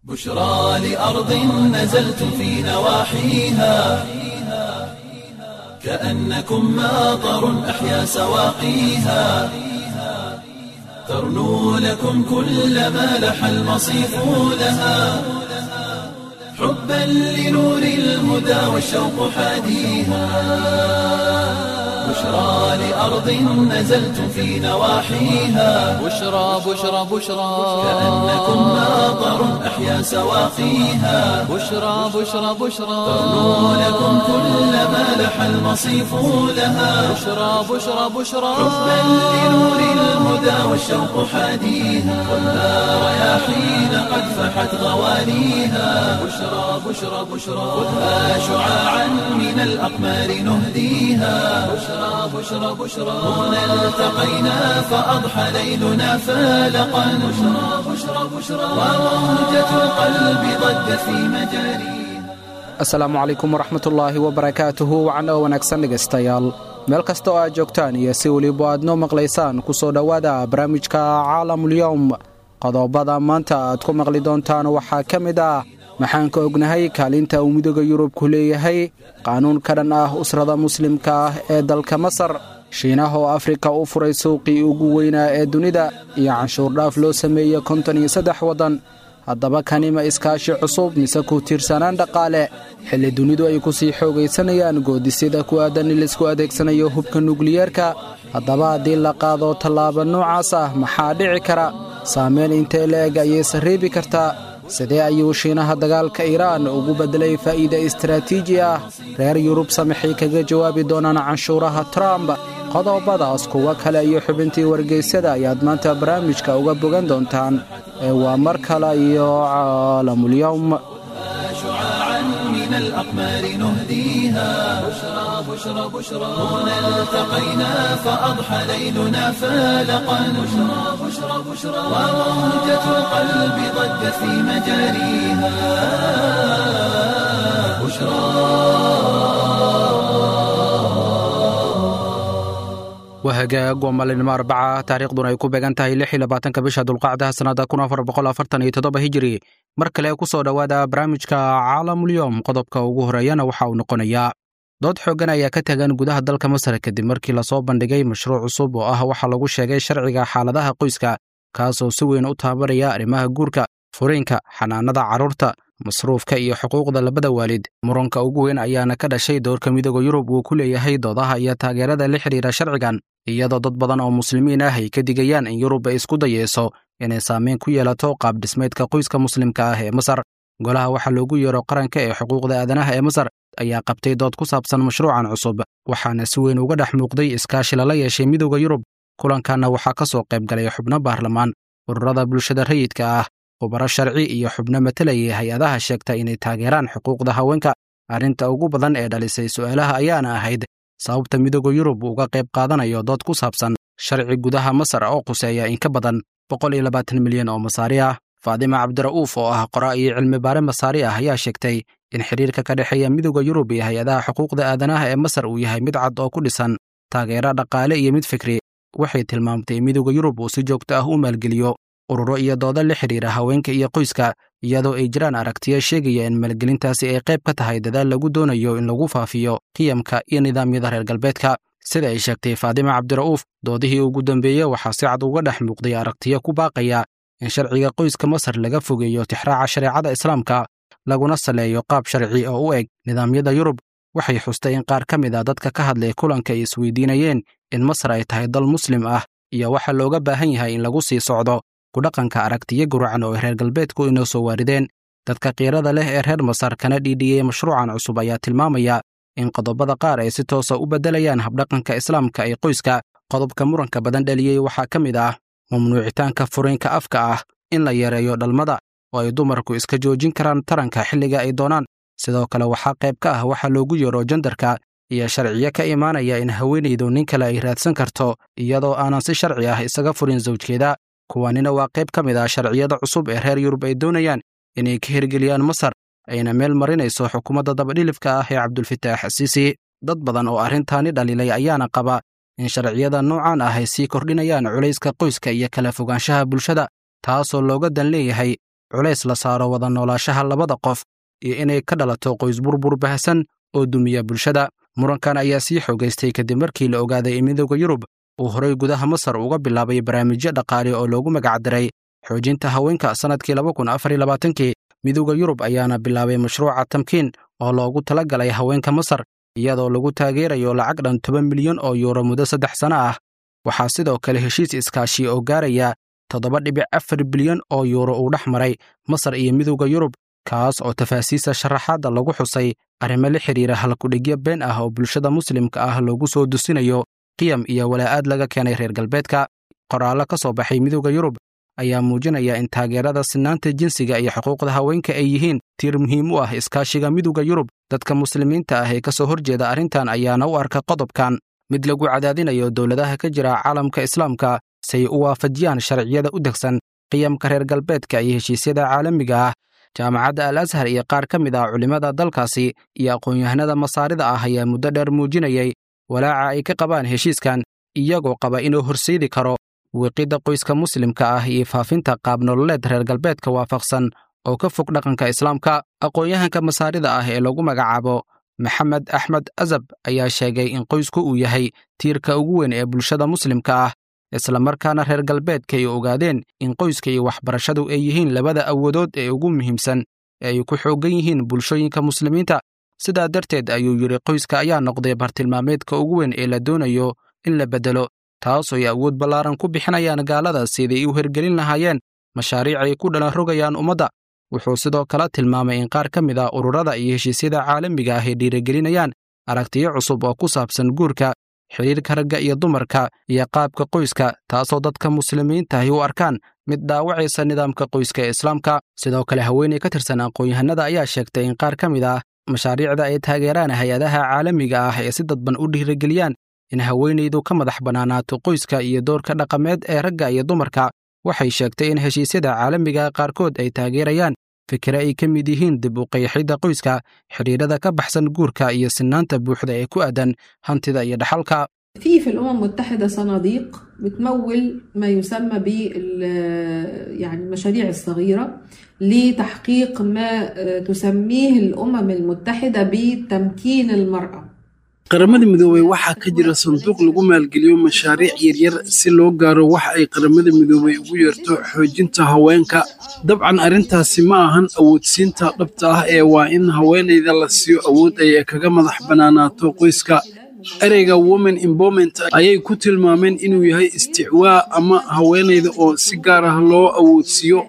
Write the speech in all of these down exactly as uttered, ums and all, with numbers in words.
بشرى لأرض نزلتم في نواحيها كأنكم ماطر أحيا سواقيها ترنو لكم كل ما لح المصيف لها حبا لنور الهدى والشوق حاديها بشرى لأرض نزلتم في نواحيها بشرى بشرى بشرى كأنكم ماطر أحيا سواقيها بشرى بشرى بشرى ترنو لكم كل ما لح المصيف لها بشرى بشرى بشرى حبا لنور الهدى والشوق حاديها خذها رياحين قد فحت غوانيها بشرى بشرى بشرى خذها شعاعا من الأقمار نهديها بشرى بشرى بشرى هنا التقينا فأضحى ليلنا فالقا بشرى بشرى بشرى وموجة القلب ضجت في مجاريها Asalaamu calaykum waraxmatullaahi wabarakaatuhu wacan oo wanaagsan dhegaystayaal meel kasta oo aad joogtaan iyo si weliba aad noo maqlaysaan ku soo dhowaada barnaamijka Caalamulyowm. Qodobada maanta aad ku maqli doontaan waxaa ka mid ah: maxaan ka ognahay kaalinta uu Midooda Yurub ku leeyahay qaanuun ka dhan ah usrada muslimka ah ee dalka Masar, Shiinaha oo Afrika u furay suuqii ugu weynaa ee dunida, iyo canshuur dhaaf loo sameeyey konton iyo saddex waddan. Haddaba kani ma iskaashi cusub mise ku tiirsanaan dhaqaale, xilli dunidu ay ku sii xoogaysanayaan goodisyada ku aadan in laisku adeegsanayo hubka nukliyeerka? Haddaba haddii la qaado tallaabo noocaas ah, maxaa dhici kara? Saameyn intee la-eg ayay sarriibi kartaa? Sidee ayuu Shiinaha dagaalka Iiraan ugu beddelay faa'iide istaraatiiji ah? Reer Yurub samaxay kaga jawaabi doonaan canshuuraha Trump? Qodobadaas, kuwo kale iyo xubintii wargeysyada ayaad maanta barnaamijka uga bogan doontaan. Ee waa mar kale iyo Caalamulyowm. شعاعا من الأقمار نهديها بشرى بشرى بشرى هنا التقينا فأضحى ليلنا فالقا بشرى بشرى بشرى وموجة القلب ضجت في مجاريها بشرى. Waa hagaag, waa maalinimo Arbaca, taariikhduna ay ku beegan tahay lix iyo labaatanka bisha Dulqacdaha sannada kun afar boqol afartan iyo toddoba Hijiri. Mar kale ku soo dhowaada barnaamijka Caalamulyowm. Qodobka ugu horeeyana waxa uu noqonayaa: dood xooggan ayaa ka tagan gudaha dalka Masar kadib markii lasoo bandhigay mashruuc cusub oo ah waxaa lagu sheegay sharciga xaaladaha qoyska, kaasoo si weyn u taabanaya arrimaha guurka, furiinka, xanaanada carruurta, masruufka iyo xuquuqda labada waalid. Muranka ugu weyn ayaana ka dhashay doorka Midooda Yurub uu ku leeyahay doodaha iyo taageerada la xidhiira sharcigan, iyadoo dad badan oo muslimiin ah ay ka digayaan in Yurub ay isku dayeyso inay saameyn ku yeelato qaab dhismeedka qoyska muslimka ah ee Masar. Golaha waxaa loogu yeero qaranka ee xuquuqda aadanaha ee Masar ayaa qabtay dood ku saabsan mashruucan cusub, waxaana si weyn uga dhex muuqday iskaashi lala yeeshay Midooda Yurub. Kulankanna waxaa ka soo qayb galay xubno baarlamaan, ururada bulshada rayidka ah, khubaro sharci iyo xubno matalayay hay-adaha sheegta inay taageeraan xuquuqda haweenka. Arrinta ugu badan ee dhalisay su'aalaha ayaana ahayd sababta Midooda Yurub uga qayb qaadanayo dood ku saabsan sharci gudaha Masar oo quseeya in ka badan boqol iyo labaatan milyan oo Masaari ah. Faadima Cabdira'uuf oo ah qora iyo cilmi baare Masaari ah ayaa sheegtay in xiriirka ka dhexeeya Midooda Yurub iyo hay-adaha xuquuqda aadanaha ee Masar uu yahay mid cad oo ku dhisan taageero dhaqaale iyo mid fikri. Waxay tilmaamtay in Midooda Yurub uu si joogto ah u maalgeliyo ururo iyo doodo la xidhiira haweenka iyo qoyska, iyadoo ay jiraan aragtiyo sheegaya in maalgelintaasi ay qayb ka tahay dadaal lagu doonayo in lagu faafiyo qiyamka iyo nidaamyada reer galbeedka. Sida ay sheegtay Faadima Cabdira'uuf, doodihii ugu dambeeyey waxaa si cad uga dhex muuqday aragtiyo ku baaqaya in sharciga qoyska Masar laga fogeeyo tixraaca shareecada Islaamka, laguna saleeyo qaab sharci oo u eg nidaamyada Yurub. Waxay xustay in qaar ka mid ah dadka ka hadlay kulanka ay isweydiinayeen in Masar ay tahay dal muslim ah iyo waxa looga baahan yahay in lagu sii socdo ku dhaqanka aragtiyo guracan oo ay reer galbeedku inoo soo waarideen. Dadka qiirada leh ee reer Masar kana dhiidhiyey mashruucan cusub ayaa tilmaamaya in qodobada qaar ay si toosa u beddelayaan habdhaqanka Islaamka ee qoyska. Qodobka muranka badan dhaliyey waxaa ka mid ah mamnuucitaanka furiinka afka ah, in la yareeyo dhalmada oo ay dumarku iska joojin karaan taranka xilliga ay doonaan. Sidoo kale waxaa qayb ka ah waxa loogu yeero jandarka iyo sharciyo ka imaanaya in haweenaydu nin kale ay raadsan karto iyadoo aanan si sharci ah isaga furin sawjkeeda. Kuwanina waa qayb ka mid ah sharciyada cusub ee reer Yurub ay doonayaan inay ka hirgeliyaan Masar, ayna meel marinayso xukuumadda dabadhilifka ah ee Cabdulfitaax Asiisi. Dad badan oo arrintaani dhaliilay ayaana qaba in sharciyada noocan ah ay sii kordhinayaan culayska qoyska iyo kala fogaanshaha bulshada, taasoo looga dan leeyahay culays la saaro wada noolaashaha labada qof iyo inay ka dhalato qoys burbur baahsan oo dumiya bulshada. Murankan ayaa sii xoogaystay kadib markii la ogaaday in Midowda Yurub uu horay gudaha Masar uga bilaabay barnaamijyo dhaqaale oo loogu magacdaray xoojinta haweenka sannadkii laba kun afar iyo labaatankii. Midowda Yurub ayaana bilaabay mashruuca Tamkiin oo loogu talagalay haweenka Masar, iyadoo lagu taageerayo lacag dhan toban milyan oo yuuro muddo saddex sano ah. Waxaa sidoo kale heshiis iskaashi oo gaaraya toddoba dhibic afar bilyan oo yuuro uu dhex maray Masar iyo Midowda Yurub, kaas oo tafaasiista sharaxaadda lagu xusay arrimo la xidhiira halkudhigyo been ah oo bulshada muslimka ah loogu soo dusinayo qiyam iyo walaa'aad laga keenay reer galbeedka. Qoraallo ka soo baxay Midowda Yurub ayaa muujinaya in taageerada sinaanta jinsiga iyo xuquuqda haweenka ay yihiin tiir muhiim u ah iskaashiga Midowda Yurub. Dadka muslimiinta ah ee ka soo horjeeda arrintan ayaana u arka qodobkan mid lagu cadaadinayo dowladaha ka jira caalamka islaamka si ay u waafajiyaan sharciyada u degsan qiyamka reer galbeedka iyo heshiisyada caalamiga ah. Jaamacadda Al Ashar iyo qaar ka mid ah culimmada dalkaasi iyo aqoon-yahanada masaarida ah ayaa muddo dheer muujinayay walaaca ay ka qabaan heshiiskan, iyagoo qaba inuu horseedi karo wiiqidda qoyska muslimka ah iyo faafinta qaab nololeed reer galbeedka waafaqsan oo ka fog dhaqanka islaamka. Aqoon-yahanka masaarida ah ee lagu magacaabo Maxamed Axmed Azab ayaa sheegay in qoysku uu yahay tiirka ugu weyn ee bulshada muslimka ah, islamarkaana reer galbeedka ay ogaadeen in qoyska iyo waxbarashadu ay yihiin labada awoodood ee ugu muhiimsan ee ay ku xooggan yihiin bulshooyinka muslimiinta. Sidaa darteed ayuu yidhi, qoyska ayaa noqday bartilmaameedka ugu weyn ee la doonayo in la beddelo, taasoo ay awood ballaaran ku bixinayaan gaalada siday u hirgelin lahaayeen mashaariic ay ku dhalan rogayaan ummadda. Wuxuu sidoo kale tilmaamay in qaar ka mid ah ururada iyo heshiisyada caalamiga ah ay dhiirigelinayaan aragtiyo cusub oo ku saabsan guurka, xidhiirka ragga iyo dumarka, iyo qaabka qoyska, taasoo dadka muslimiinta ahi u arkaan mid dhaawacaysa nidaamka qoyska ee islaamka. Sidoo kale haweeney ka tirsan aqoon-yahanada ayaa sheegtay in qaar ka mid ah mashaariicda ay taageeraan hay-adaha caalamiga ah ee si dadban u dhiirigeliyaan in haweenaydu ka madax bannaanaato qoyska iyo doorka dhaqameed ee ragga iyo dumarka. Waxay sheegtay in heshiisyada caalamiga qaarkood ay taageerayaan fikre ay ka mid yihiin dib u qeexidda qoyska, xidhiirada ka baxsan guurka, iyo sinaanta buuxda ee ku aadan hantida iyo dhaxalka. في في الأمم المتحدة صناديق بتمول ما يسمى بال يعني المشاريع الصغيرة لتحقيق ما تسميه الأمم المتحدة بتمكين المرأة. Qaramada Midoobay waxaa ka jira sanduuq lagu maalgeliyo mashaariic yaryar si loo gaaro wax ay Qaramada Midoobay ugu yeerto xoojinta haweenka. Dabcan arrintaasi ma ahan awoodsiinta dhabta ah ee waa in haweeneyda la siiyo awood ay kaga madax bannaanaato qoyska. Ereyga women empowerment ayay ku tilmaameen inuu yahay isticwaa ama haweeneyda oo si gaar ah loo awoodsiiyo.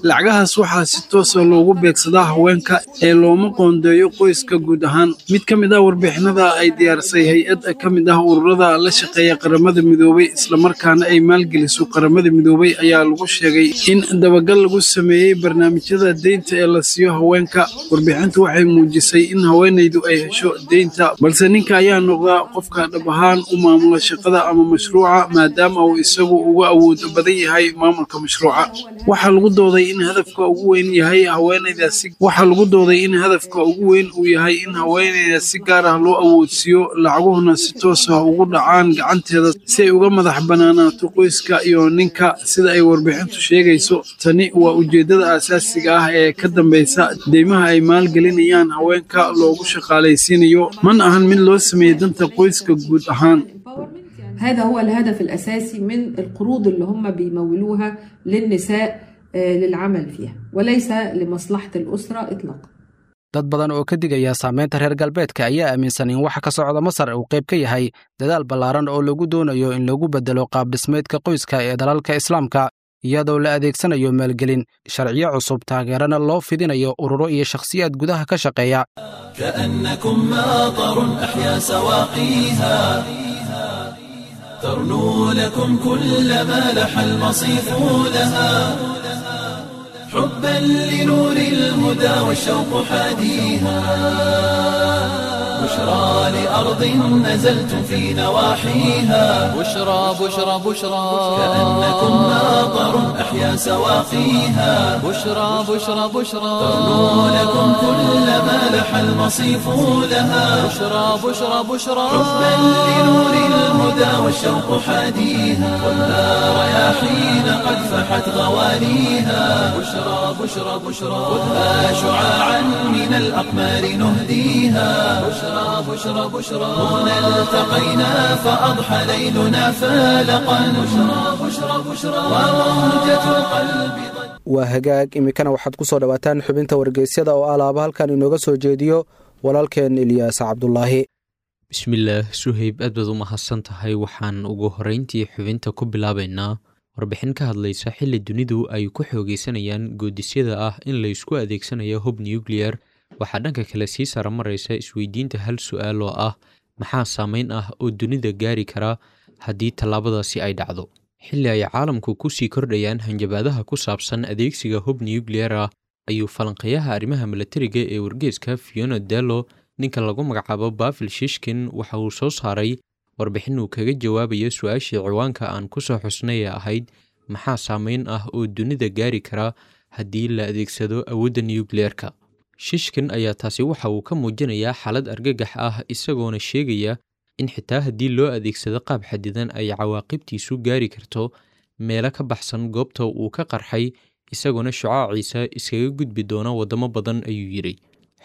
Lacagahaas waxaa si toos ah loogu beegsadaa haweenka ee looma qoondeeyo qoyska guud ahaan. Mid ka mid ah warbixinada ay diyaarisay hay-ad ka mid ah ururada la shaqeeya Qaramada Midoobay islamarkaana ay maalgeliso Qaramada Midoobay ayaa lagu sheegay in dabagal lagu sameeyey barnaamijyada deynta ee la siiyo haweenka. Warbixintu waxay muujisay in haweeneydu ay hesho deynta, balse ninka ayaa noqda qofka dhab ahaan u maamula shaqada ama mashruuca, maadaama uu isagu uga awood badan yahay maamulka mashruuca. Waxaa lagu dooday in hadafka ugu weyn yahay haweeneydaasi waxaa lagu dooday in hadafka ugu weyn uu yahay in haweeneyda si gaar ah loo awoodsiiyo, lacaguhuna si toos ah ugu dhacaan gacanteeda si ay uga madax bannaanaato qoyska iyo ninka, sida ay warbixintu sheegayso. Tani waa ujeeddada aasaasiga ah ee ka dambeysa deymaha ay maalgelinayaan haweenka loogu shaqaalaysiinayo, mana ahan mid loo sameeyey danta qoyska guud ahaan. هذا هو الهدف الأساسي من القروض اللي هم بيمولوها للنساء للعمل فيها، وليس لمصلحة الأسرة إطلاقا. Dad badan oo ka digaya saameynta reer galbeedka ayaa aaminsan in waxa ka socda Masar uu qayb ka yahay dadaal ballaaran oo lagu doonayo in lagu beddelo qaab dhismeedka qoyska ee dalalka islaamka, iyadoo la adeegsanayo maalgelin, sharciyo cusub, taageerana loo fidinayo ururo iyo shakhsiyaad gudaha ka shaqeeya. كأنكم ماطر أحيا سواقيها ترنو لكم كل ما لح المصيف لها حبا لنور الهدى والشوق حاديها بشرى لأرض نزلتم في نواحيها بشرى بشرى بشرى كأنكم ماطر أحيا سواقيها بشرى بشرى بشرى ترنو لكم كل ما لح المصيف لها بشرى بشرى بشرى حبا لنور الهدى والشوق حاديها والنار رياحين قد فحت غواليها بشرى بشرى بشرى خذها شعاعا من الأقمار نهديها بشرى بشرى بشرى هنا التقينا فأضحى ليلنا فالقا بشرى بشرى بشرى وموجة القلب. Waa hagaag, iminkana waxaad ku soo dhowaataan xubinta wargeysyada oo alaaba halkan inooga soo jeediyo walaalkeen Ilyaas Cabdulaahi. Bismillaah Suhayb, aad baad u mahadsan tahay. Waxaan ugu horreyntii xubinta ku bilaabaynaa warbixin ka hadlaysa xilli dunidu ay ku xoogeysanayaan goodisyada ah in la isku adeegsanayo hub nuclear. Waxaa dhanka kale sii saramaraysa isweydiinta hal su-aal oo ah maxaa saameyn ah oo dunida gaari kara haddii tallaabadaasi ay dhacdo. Xilli ay caalamku ku sii kordhayaan hanjabaadaha ku saabsan adeegsiga hub nuclear ah, ayuu falanqeeyaha arrimaha milatariga ee wargeeska Fiona Dello, ninka lagu magacaabo Bafil Shishkin, waxa uu soo saaray warbixin uu kaga jawaabayo su-aashii ciwaanka aan ku soo xusnay ee ahayd maxaa saameyn ah oo dunida gaari kara haddii la adeegsado awoodda nuclear-ka. Shishkin ayaa taasi waxa uu ka muujinayaa xaalad argagax ah, isagoona sheegaya in xitaa haddii loo adeegsado qaab xadidan ay cawaaqibtiisu gaari karto meelo ka baxsan goobta uu ka qarxay, isagoona shucaaciisa iskaga gudbi doona waddamo badan, ayuu yidhi,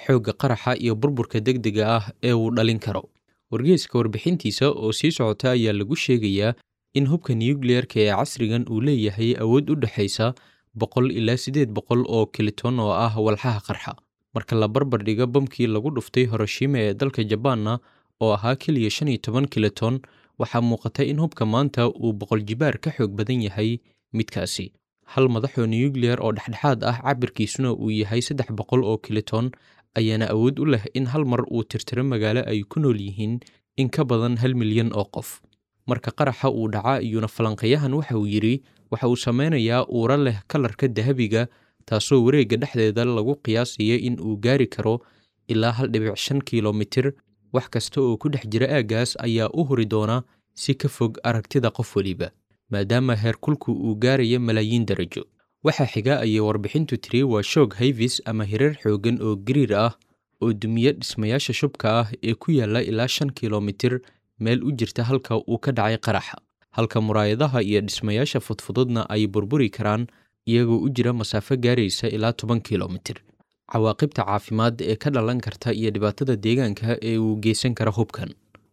xoogga qaraxa iyo burburka degdega ah ee uu dhalin karo. Wargeyska warbixintiisa oo sii socota ayaa lagu sheegayaa in hubka nuclear-ka ee casrigan uu leeyahay awood u dhexaysa boqol ilaa siddeed boqol oo kiliton oo ah walxaha qarxa. Marka la barbar dhigo bamkii lagu dhuftay Hiroshima ee dalka Jabaanna oo ahaa keliya shan iyo toban kiliton, waxaa muuqata in hubka maanta uu boqol jibaar ka xoog badan yahay midkaasi. Hal madaxoo nuclear oo dhexdhexaad ah cabirkiisuna uu yahay saddex boqol oo kiliton ayaana awood u leh in hal mar uu tirtiro magaalo ay ku nool yihiin in ka badan hal milyan oo qof. Marka qaraxa uu dhaca iyuuna falanqeeyahan waxa uu yidhi waxa uu sameynayaa uura leh kalarka dahabiga, taasoo wareegga dhexdeeda lagu qiyaasaya in uu gaari karo ilaa hal dhibic shan kilomitir. Wax kasta oo ku dhex jira aaggaas ayaa u huri doona si ka fog aragtida qof weliba, maadaama heerkulku uu gaarayo malaayiin darajo. Waxaa xiga, ayay warbixintu tiri, waa shoog hayvis ama hirar xooggan oo gariir ah oo dumiye dhismayaasha shubka ah ee ku yaalla ilaa shan kilomitir meel u jirta halka uu ka dhacay qaraxa, halka muraayadaha iyo dhismayaasha fudfududna ay burburi karaan iyagoo u jira masaafo gaaraysa ilaa toban kilomitir. Cawaaqibta caafimaad ee ka dhalan karta iyo dhibaatada deegaanka ee uu geysan kara hubkan.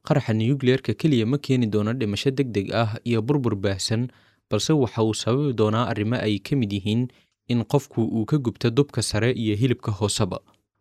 Qaraxa nuclear-ka keliya ma keeni doono dhimasho degdeg ah iyo burbur baahsan, balse waxa uu sababi doonaa arrimo ay ka mid yihiin in qofku uu ka gubto dubka sare iyo hilibka hooseba.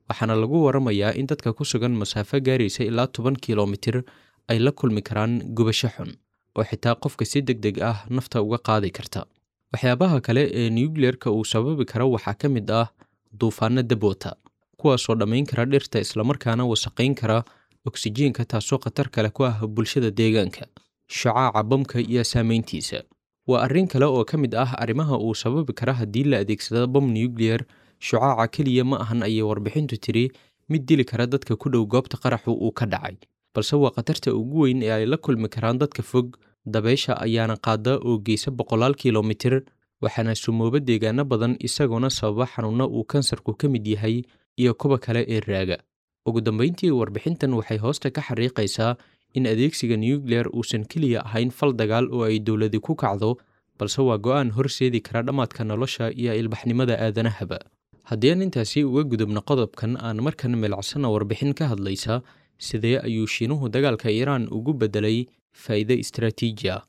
Waxaana lagu waramayaa in dadka ku sugan masaafo gaaraysa ilaa toban kilomitir ay la kulmi karaan gubasho xun oo xitaa qofka si degdeg ah nafta uga qaadi karta. Waxyaabaha kale ee nuclear-ka uu sababi karo waxaa ka mid ah duufaanno dab wata, kuwaasoo dhammayn kara dhirta islamarkaana wasaqayn kara oksijiinka, taasoo khatar kale ku ah bulshada deegaanka. Shucaaca bamka iyo saameyntiisa waa arrin kale oo ka mid ah arrimaha uu sababi kara haddii la adeegsado bam nuclear. Shucaaca keliya ma ahan, ayay warbixintu tiri, mid dili kara dadka ku dhow goobta qaraxu uu ka dhacay, balse waa khatarta ugu weyn ee ay la kulmi karaan dadka fog. Dabeysha ayaana qaada oo geysa boqolaal kilomitir, waxaana sumooba deegaano badan, isagoona sababa xanuunno uu kansarku ka mid yahay iyo kuwa kale ee raaga. Ugu dambeyntii, warbixintan waxay hoosta ka xariiqaysaa in adeegsiga nuclear uusan keliya ahayn fal dagaal oo ay dowladi ku kacdo, balse waa go'aan horseedi kara dhammaadka nolosha iyo ilbaxnimada aadanahaba. Haddii aan intaasi uga gudubno qodobkan, aan markan milicsana warbixin ka hadlaysa sidee ayuu Shiinuhu dagaalka Iiraan ugu beddelay faa'iido istaraatiiji ah.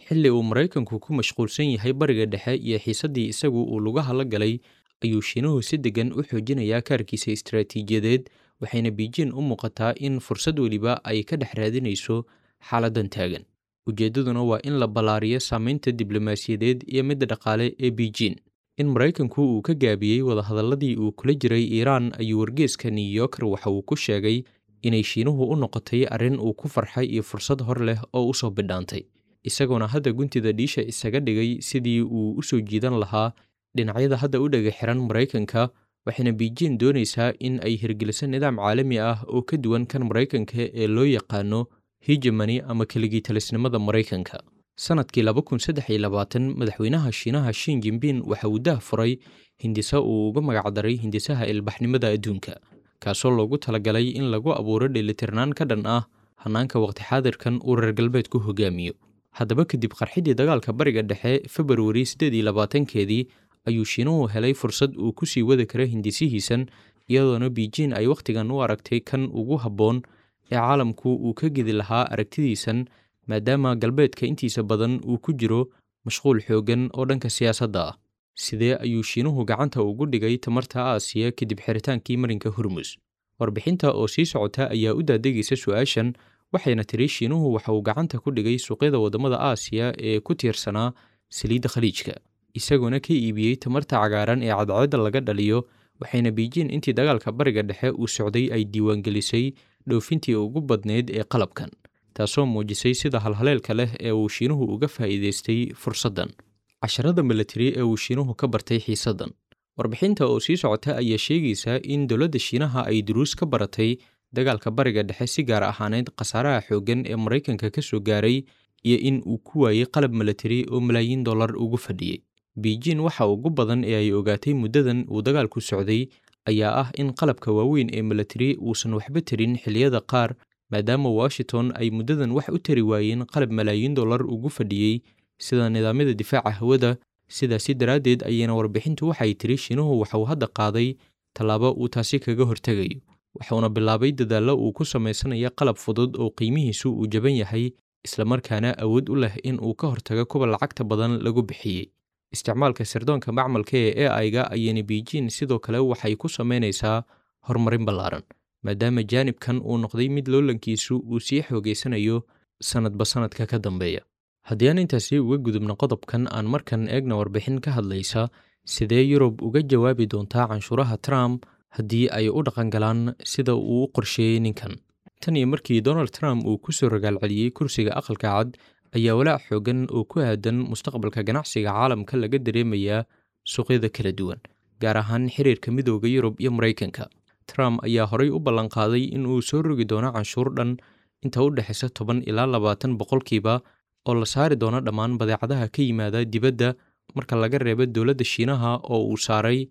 Xilli uu Maraykanku ku mashquulsan yahay Bariga Dhexe iyo xiisaddii isagu uu lugaha la galay, ayuu Shiinuhu si deggan u xoojinayaa kaarkiisa istaraatiijiyadeed, waxayna Beijing u muuqataa in fursad weliba ay ka dhex raadinayso xaaladdan taagan. Ujeeddaduna waa in la ballaariyo saameynta diblomaasiyadeed iyo midda dhaqaale ee Beijing. In Maraykanku uu ka gaabiyey wadahadalladii uu kula jiray Iiraan ayuu wargeyska New Yorker waxa uu ku sheegay inay Shiinuhu u noqotay arrin uu ku farxay iyo fursad hor leh oo u soo bidhaantay, isagoona hadda guntida dhiisha isaga dhigay sidii uu u soo jiidan lahaa dhinacyada hadda u dhega xiran Maraykanka, Waxayna Beijing doonaysaa in ay hirgeliso nidaam caalami ah oo ka duwan kan Maraykanka ee loo yaqaano hegemony ama keligii talisnimada Maraykanka. Sanadkii laba kun saddex iyo labaatan madaxweynaha Shiinaha Xi Jinping waxa uu daah furay hindisa uu uga magacdaray hindisaha ilbaxnimada adduunka, kaasoo loogu talagalay in lagu abuuro dheelitirnaan ka dhan ah hannaanka waqti xaadirkan uu reer galbeedku hogaamiyo. Haddaba kadib qarxidii dagaalka Bariga Dhexe Februari siddeed iyo labaatankeedii ayuu Shiinuhu helay fursad uu ku sii wadi karo hindisihiisan, iyadoona Beijing ay wakhtigan u aragtay kan ugu habboon ee caalamku uu ka gedi lahaa aragtidiisan, maadaama galbeedka intiisa badan uu ku jiro mashquul xooggan oo dhanka siyaasadda ah. Sidee ayuu Shiinuhu gacanta ugu dhigay tamarta Aasiya kadib xiritaankii marinka Hormuz? Warbixinta oo sii socota ayaa u daadegaysa su'aashan, waxayna tiri Shiinuhu waxa uu gacanta ku dhigay suuqyada waddamada Aasiya ee ku tiirsanaa saliidda Khaliijka, isagoona ka iibiyey tamarta cagaaran ee cadceedda laga dhaliyo. Waxayna Beijing intii dagaalka Bariga Dhexe uu socday ay diiwaangelisay dhoofintii ugu badneyd ee qalabkan, taasoo muujisay sida halhaleelka leh ee uu Shiinuhu uga faa'iidaystay fursaddan. Casharada military ee uu Shiinuhu ka bartay xiisaddan. Warbixinta oo sii socota ayaa sheegaysa in dowladda Shiinaha ay duruus ka baratay dagaalka Bariga Dhexe, si gaar ahaaneyd khasaaraha xooggan ee Maraykanka ka soo gaaray iyo in uu ku waayey qalab military oo malaayiin dollar ugu fadhiyey. Beijing waxa ugu badan ee ay ogaatay muddadan uu dagaalku socday ayaa ah in qalabka waaweyn ee military uusan waxba tarin xilliyada qaar, maadaama Washington ay muddadan wax u tari waayeen qalab malaayiin dollar ugu fadhiyey sida nidaamyada difaaca hawada. Sidaasi daraaddeed ayayna warbixintu waxay tiri Shiinuhu waxa uu hadda qaaday tallaabo uu taasi kaga hortegayo, waxuuna bilaabay dadaallo uu ku samaysanayo qalab fudud oo qiimihiisu uu jaban yahay, islamarkaana awood u leh in uu ka hortago kuwa lacagta badan lagu bixiyey. Isticmaalka sirdoonka macmalka ee A I-ga ayayna Beijing sidoo kale waxay ku samaynaysaa horumarin ballaaran, maadaama jaanibkan uu noqday mid loolankiisu uu sii xoogaysanayo sanadba sanadka ka dambeeya. Haddii aan intaasi uga gudubno qodobkan, aan markan eegna warbixin ka hadlaysa sidee Yurub uga jawaabi doontaa canshuuraha Trump haddii ay u dhaqangalaan sida uu u qorsheeyey ninkan. Tan iyo markii Donald Trump uu ku soo ragaalceliyey kursiga Aqalka Cad ayaa walaac xooggan oo ku aadan mustaqbalka ganacsiga caalamka laga dareemayaa suuqyada kala duwan, gaar ahaan xiriirka Midowga Yurub iyo Maraykanka. Trump ayaa horay u ballanqaaday in uu soo rogi doono canshuur dhan inta u dhexaysa toban ilaa labaatan boqolkiiba oo la saari doono dhammaan badeecadaha ka yimaada dibadda, marka laga reebo dowladda Shiinaha oo uu saaray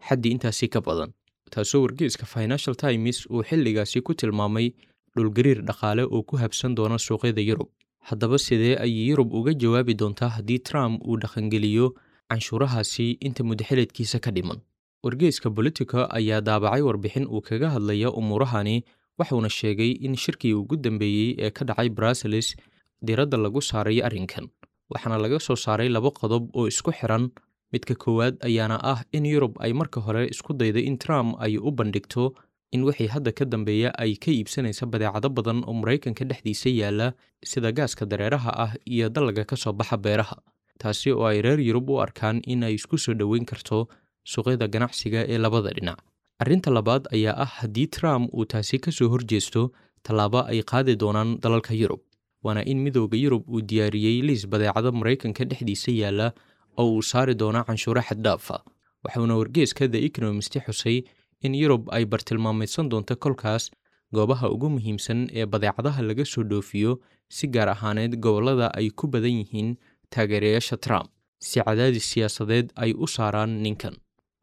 xaddi intaasi ka badan, taasoo wargeyska Financial Times uu xilligaasi ku tilmaamay dhulgariir dhaqaale oo ku habsan doona suuqyada Yurub. Haddaba sidee ayay Yurub uga jawaabi doontaa haddii Trump uu dhaqangeliyo canshuurahaasi inta muddaxileedkiisa ka dhiman? Wargeyska Politico ayaa daabacay warbixin uu kaga hadlaya umuurahani, waxuuna sheegay in shirkii ugu dambeeyey ee ka dhacay Brussels diiradda lagu saaray arrinkan, waxaana laga soo saaray laba qodob oo isku xiran. Midka koowaad ayaana ah in Yurub ay marka hore isku dayday in Trump ay u bandhigto in wixii hadda ka dambeeya ay ka iibsanaysa badeecado badan oo Maraykanka dhexdiisa yaalla, sida gaaska dareeraha ah iyo dalaga ka soo baxa beeraha, taasi oo ay reer Yurub u arkaan in ay isku soo dhoweyn karto suuqyada ganacsiga ee labada dhinac. Arrinta labaad ayaa ah haddii Trump uu taasi ka soo horjeesto, tallaabo ay qaadi doonaan dalalka Yurub, waana in Midowga Yurub uu diyaariyey liis badeecado Maraykanka dhexdiisa yaalla oo uu saari doono canshuuro xad-dhaaf ah. Waxuuna wargeyska The Economist xusay in Yurub ay bartilmaameedsan doonto kolkaas goobaha ugu muhiimsan ee badeecadaha laga soo dhoofiyo, si gaar ahaaneed gobollada ay ku badan yihiin taageerayaasha Trump, si cadaadis siyaasadeed ay u saaraan ninkan.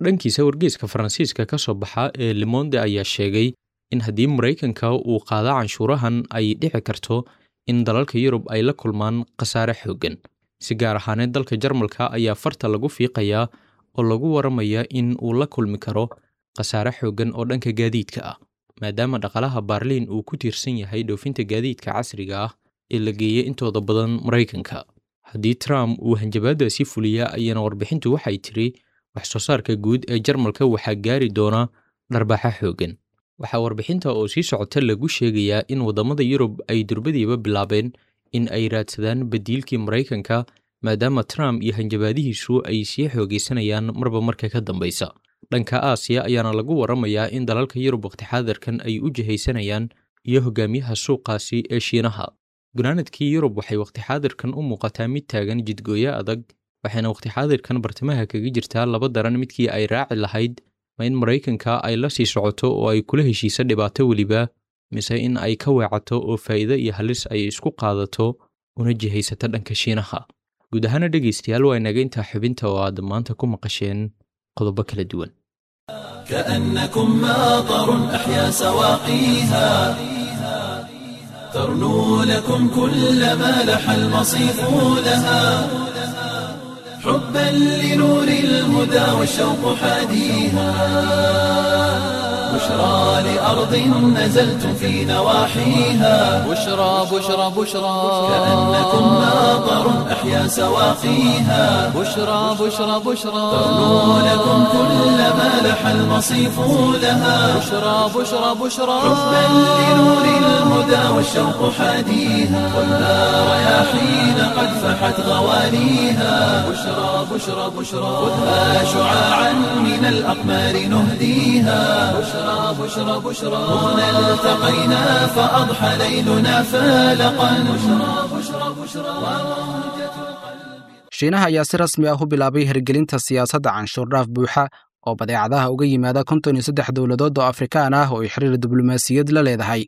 Dhankiisa wargeyska Faransiiska ka soo baxa ee Le Monde ayaa sheegay in haddii Maraykanka uu qaado canshuurahan ay dhici karto in dalalka Yurub ay la kulmaan khasaare xooggan. Si gaar ahaaneed dalka Jarmalka ayaa farta lagu fiiqayaa oo lagu waramayaa in uu la kulmi karo khasaare xooggan oo dhanka gaadiidka ah, maadaama dhaqaalaha Berlin uu ku tiirsan yahay dhoofinta gaadiidka casriga ah ee la geeyay intooda badan Maraykanka. Haddii Trump uu hanjabaadaasi fuliya ayana warbixintu waxay tiri wax soo saarka guud ee Jarmalka waxaa gaari doona dharbaaxa xooggan. Waxaa warbixinta oo sii socota lagu sheegayaa in waddamada Yurub ay durbadiiba bilaabeen in ay raadsadaan badiilkii Maraykanka, maadaama Trump iyo hanjabaadihiisu ay sii xoogaysanayaan marba marka ka dambaysa. Dhanka Aasiya ayaana lagu waramayaa in dalalka Yurub waqti xaadirkan ay u jihaysanayaan iyo hogaamiyaha suuqaasi ee Shiinaha. Gunaanadkii Yurub waxay waqti xaadirkan u muuqataa mid taagan jidgooyo adag, waxayna waqti xaadirkan bartamaha kaga jirtaa laba daran midkii ay raaci lahayd Ma in Maraykanka ay la sii socoto oo ay kula heshiisa dhibaato weliba, mise in ay ka weecato oo faa'iido iyo halis ay isku qaadato una jihaysato dhanka Shiinaha? Guud ahaana dhegaystayaal, waa inaga intaa xubinta oo aad maanta ku maqasheen qodobo kala duwan. كأنكم ماطر أحيا سواقيها ترنو لكم كل ما لح المصيف لها حبا لنور الهدى والشوق حاديها بشرى لأرض نزلتم في نواحيها بشرى بشرى بشرى كأنكم ماطر أحيا سواقيها بشرى بشرى بشرى ترنو لكم كل ما لح المصيف لها بشرى بشرى بشرى حبا لنور الهدى والشوق حاديها ولا رياحين قد فحت غوانيها بشرى بشرى بشرى خذها شعاعا من الأقمار نهديها بشرى بشرى بشرى هنا التقينا فأضحى ليلنا فالقا بشرى بشرى بشرى Shiinaha ayaa si rasmi ah u bilaabay hirgelinta siyaasadda canshuurdhaaf buuxa oo badeecadaha uga yimaada konton iyo saddex dowladood oo Afrikaan ah oo ay xiriir diblomaasiyad la leedahay.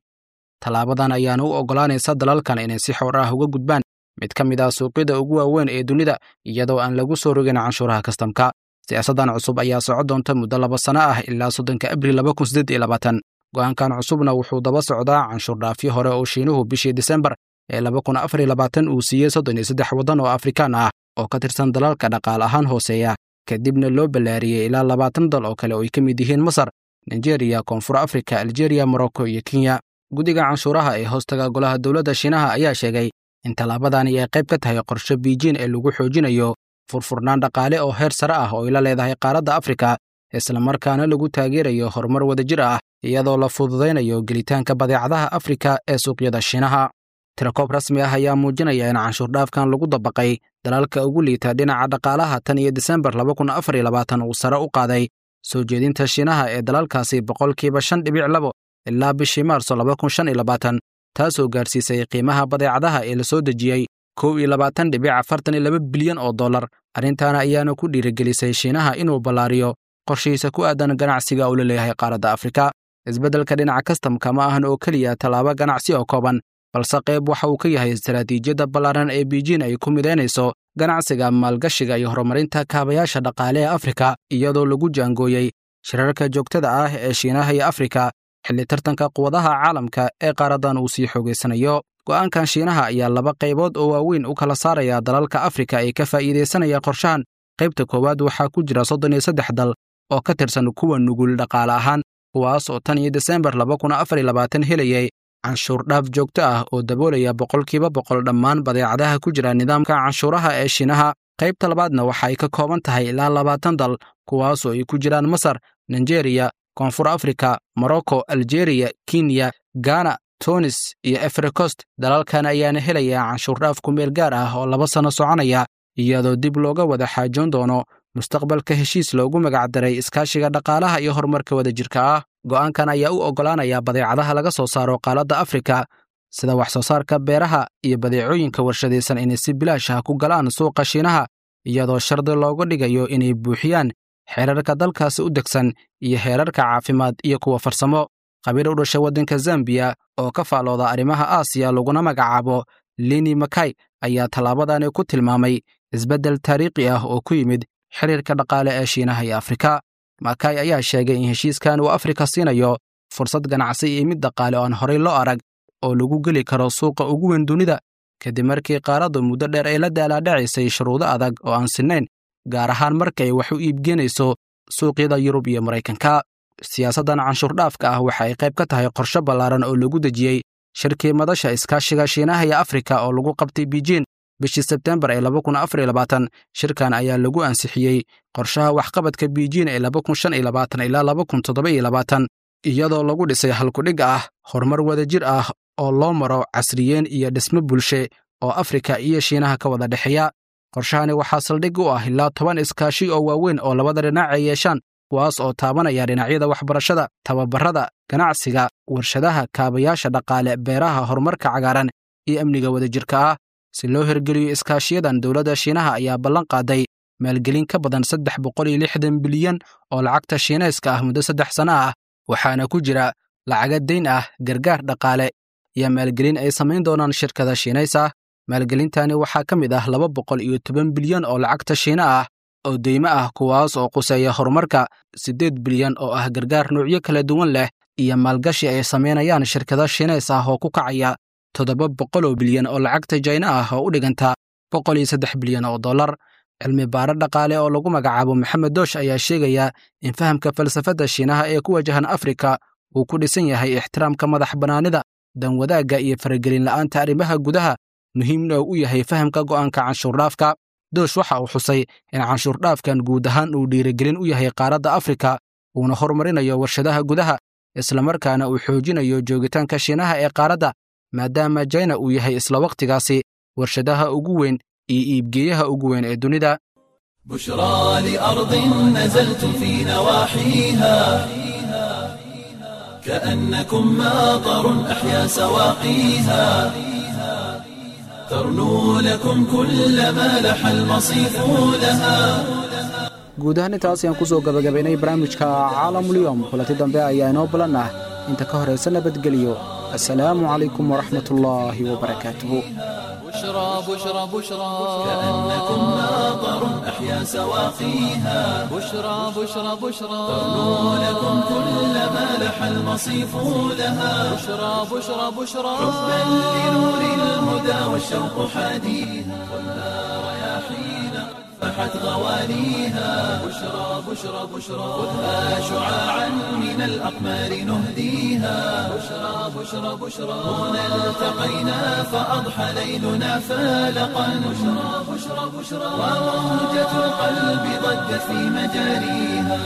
Tallaabadan ayaana u oggolaanaysa dalalkan inay si xor ah uga gudbaan mid ka mid ah suuqyada ugu waaweyn ee dunida, iyadoo aan lagu soo rogin canshuuraha kastamka. Siyaasaddan cusub ayaa soco doonta muddo laba sano ah ilaa soddonka Abriil laba kun siddeed iyo labaatan. Go'aankan cusubna wuxuu daba socdaa canshuurdhaafyo hore oo Shiinuhu bishii Disembar ee laba kun afar iyo labaatan uu siiyey soddon iyo saddex waddan oo Afrikaan ah oo ka tirsan dalalka dhaqaale ahaan hooseeya, kadibna loo ballaariyey ilaa labaatan dal oo kale oo ay ka mid yihiin Masar, Nigeria, Koonfur Afrika, Algeria, Morocco iyo Kenya. Guddiga canshuuraha ee hoostaga golaha dowladda Shiinaha ayaa sheegay in tallaabadani ay qayb ka tahay qorshe Beijing ee lagu xoojinayo furfurnaan dhaqaale oo heer sare ah oo ay la leedahay qaaradda Afrika, islamarkaana lagu taageerayo horumar wadajir ah iyadoo la fududaynayo gelitaanka badeecadaha Afrika ee suuqyada Shiinaha. Tirakoob rasmi ah ayaa muujinaya in canshuurdhaafkan lagu dabaqay dalalka ugu liita dhinaca dhaqaalaha tan iyo Disembar laba kun afar iyo labaatan uu sare u qaaday soo jeedinta Shiinaha ee dalalkaasi boqolkiiba shan dhibic labo ilaa bishii Maarso laba kun shan iyo labaatan, taasoo gaarsiisay qiimaha badeecadaha ee la soo dejiyey kow iyo labaatan dhibic afartan iyo laba bilyan oo dollar. Arrintaana ayaana ku dhiirigelisay Shiinaha inuu ballaariyo qorshihiisa ku aadan ganacsiga uu la leeyahay qaaradda Afrika. Isbeddelka dhinaca kastamka ma ahan oo keliya tallaabo ganacsi oo kooban, balse qayb waxa uu ka yahay istaraatiijiyadda ballaaran ee Beijing ay ku midaynayso ganacsiga, maalgashiga iyo horumarinta kaabayaasha dhaqaale ee Afrika, iyadoo lagu jaangooyey shirarka joogtada ah ee Shiinaha iyo Afrika xilli tartanka quwadaha caalamka ee qaaraddan uu sii xoogaysanayo. Go'aankan Shiinaha ayaa laba qaybood oo waaweyn u kala saaraya dalalka Afrika ee ka faa'iidaysanaya qorshahan. Qaybta koowaad waxaa ku jira soddon iyo saddex dal oo ka tirsan kuwa nugul dhaqaale ahaan, kuwaas oo tan iyo Disembar laba kun afar iyo labaatan helayay canshuur dhaaf joogto ah oo daboolaya boqolkiiba boqol dhammaan badeecadaha ku jira nidaamka canshuuraha ee Shiinaha. Qaybta labaadna waxa ay ka kooban tahay ilaa labaatan dal, kuwaasoo ay ku jiraan Masar, Nigeria, Koonfur Afrika, Morocco, Algeria, Kenya, Ghana, Tunis iyo Ivory Coast. Dalalkan ayaana helaya canshuur dhaaf ku meel gaar ah oo laba sano soconaya, iyadoo dib looga wada xaajoon doono mustaqbalka heshiis loogu magacdaray iskaashiga dhaqaalaha iyo horumarka wadajirka ah. Go'aankan ayaa u oggolaanaya badeecadaha laga soo saaro qaaladda Afrika sida wax soo saarka beeraha iyo badeecooyinka warshadaysan inay si bilaash ah ku galaan suuqa Shiinaha, iyadoo shardi looga dhigayo inay buuxiyaan xeerarka dalkaasi u degsan iyo heerarka caafimaad iyo kuwa farsamo. Qabiil u dhashay waddanka Zambiya oo ka faalooda arrimaha Aasiya laguna magacaabo Lini Makai ayaa tallaabadani ku tilmaamay isbeddel taariikhi ah oo ku yimid xiriirka dhaqaale ee Shiinaha iyo Afrika. Makai ayaa sheegay in heshiiskan uu Afrika siinayo fursad ganacsi iyo mid dhaqaale oo aan horey loo arag oo lagu geli karo suuqa ugu weyn dunida, kadib markii qaaraddu muddo dheer ay la daalaadhacaysay shuruudo adag oo aan sinnayn, gaar ahaan marka ay wax u iibgeenayso suuqyada Yurub iyo Maraykanka. Siyaasaddan canshuurdhaafka ah waxa ay qayb ka tahay qorshe ballaaran oo lagu dejiyey shirkii madasha iskaashiga Shiinaha iyo Afrika oo lagu qabtay Beijing bishii Sebtembar ee laba kun afar iyo labaatan. Shirkan ayaa lagu ansixiyey qorshaha waxqabadka Beijing ee laba kun shan iyo labaatan ilaa laba kun toddoba iyo labaatan, iyadoo lagu dhisay halkudhig ah horumar wadajir ah oo loo maro casriyeen iyo dhismo bulshe oo Afrika iyo Shiinaha ka wada dhexeeya. Qorshahani waxaa saldhig u ah ilaa toban iskaashi oo waaweyn oo labada dhinac ay yeeshaan, kuwaas oo taabanaya dhinacyada waxbarashada, tababarada, ganacsiga, warshadaha, kaabayaasha dhaqaale, beeraha, horumarka cagaaran iyo amniga wadajirka ah. Si loo hirgeliyo iskaashiyadan, dowladda Shiinaha ayaa ballan qaaday Maalgelin ka badan saddex boqol iyo lixdan bilyan oo lacagta Shiinayska ah muddo saddex sano ah, waxaana ku jira lacaga deyn ah, gargaar dhaqaale iyo maalgelin ay samayn doonaan shirkada Shiinays ah. Maalgelintani waxaa ka mid ah laba boqol iyo toban bilyan oo lacagta Shiina ah oo deymo ah, kuwaas oo quseeya horumarka, siddeed bilyan oo ah gargaar noocyo kala duwan leh iyo maalgashi ay samaynayaan shirkada Shiinays ah oo ku kacaya toddoba boqol oo bilyan oo lacagta Jayna ah oo u dhiganta boqol iyo saddex bilyan oo dollar. Cilmi baaro dhaqaale oo lagu magacaabo Maxamed Doosh ayaa sheegaya in fahamka falsafadda Shiinaha ee ku wajahan Afrika uu ku dhisan yahay ixtiraamka madax bannaanida, danwadaagga iyo faragelin la'aanta arrimaha gudaha, muhiimna uu u yahay fahamka go'aanka canshuurdhaafka. Doosh waxa uu xusay in canshuurdhaafkan guud ahaan uu dhiirigelin u yahay qaaradda Afrika, uuna horumarinayo warshadaha gudaha, islamarkaana uu xoojinayo joogitaanka Shiinaha ee qaaradda, maadaama Jayna uu yahay isla wakhtigaasi warshadaha ugu weyn iyo iibgeeyaha ugu weyn ee dunida. بشرى لأرض نزلت في نواحيها كأنكم ماطر أحيا سواقيها، ترنو لكم كل ما لح المصيف لها. Guud ahaan intaas ayaan kusoo gabagabaynay barnaamijka Caalamulyoom. Kulanti dambe ayaa inoo balan ah, inta ka horaysa nabadgeliyo. Assalaamu calaykum waraxmat ullaahi wabarakaatuhu. بشرى بشرى بشرى كأنكم ماطر أحيا سواقيها، بشرى بشرى بشرى ترنو لكم كل ما لح المصيف لها. بشرى بشرى بشرى حبا لنور الهدى والشوق حاديها، والنار يا حين فحت غوانيها. بشرى بشرى بشرى خذها شعاعا من الأقمار نهديها. بشرى بشرى بشرى هنا التقينا فأضحى ليلنا فالقا. بشرى بشرى بشرى وموجة القلب ضجت في مجاريها.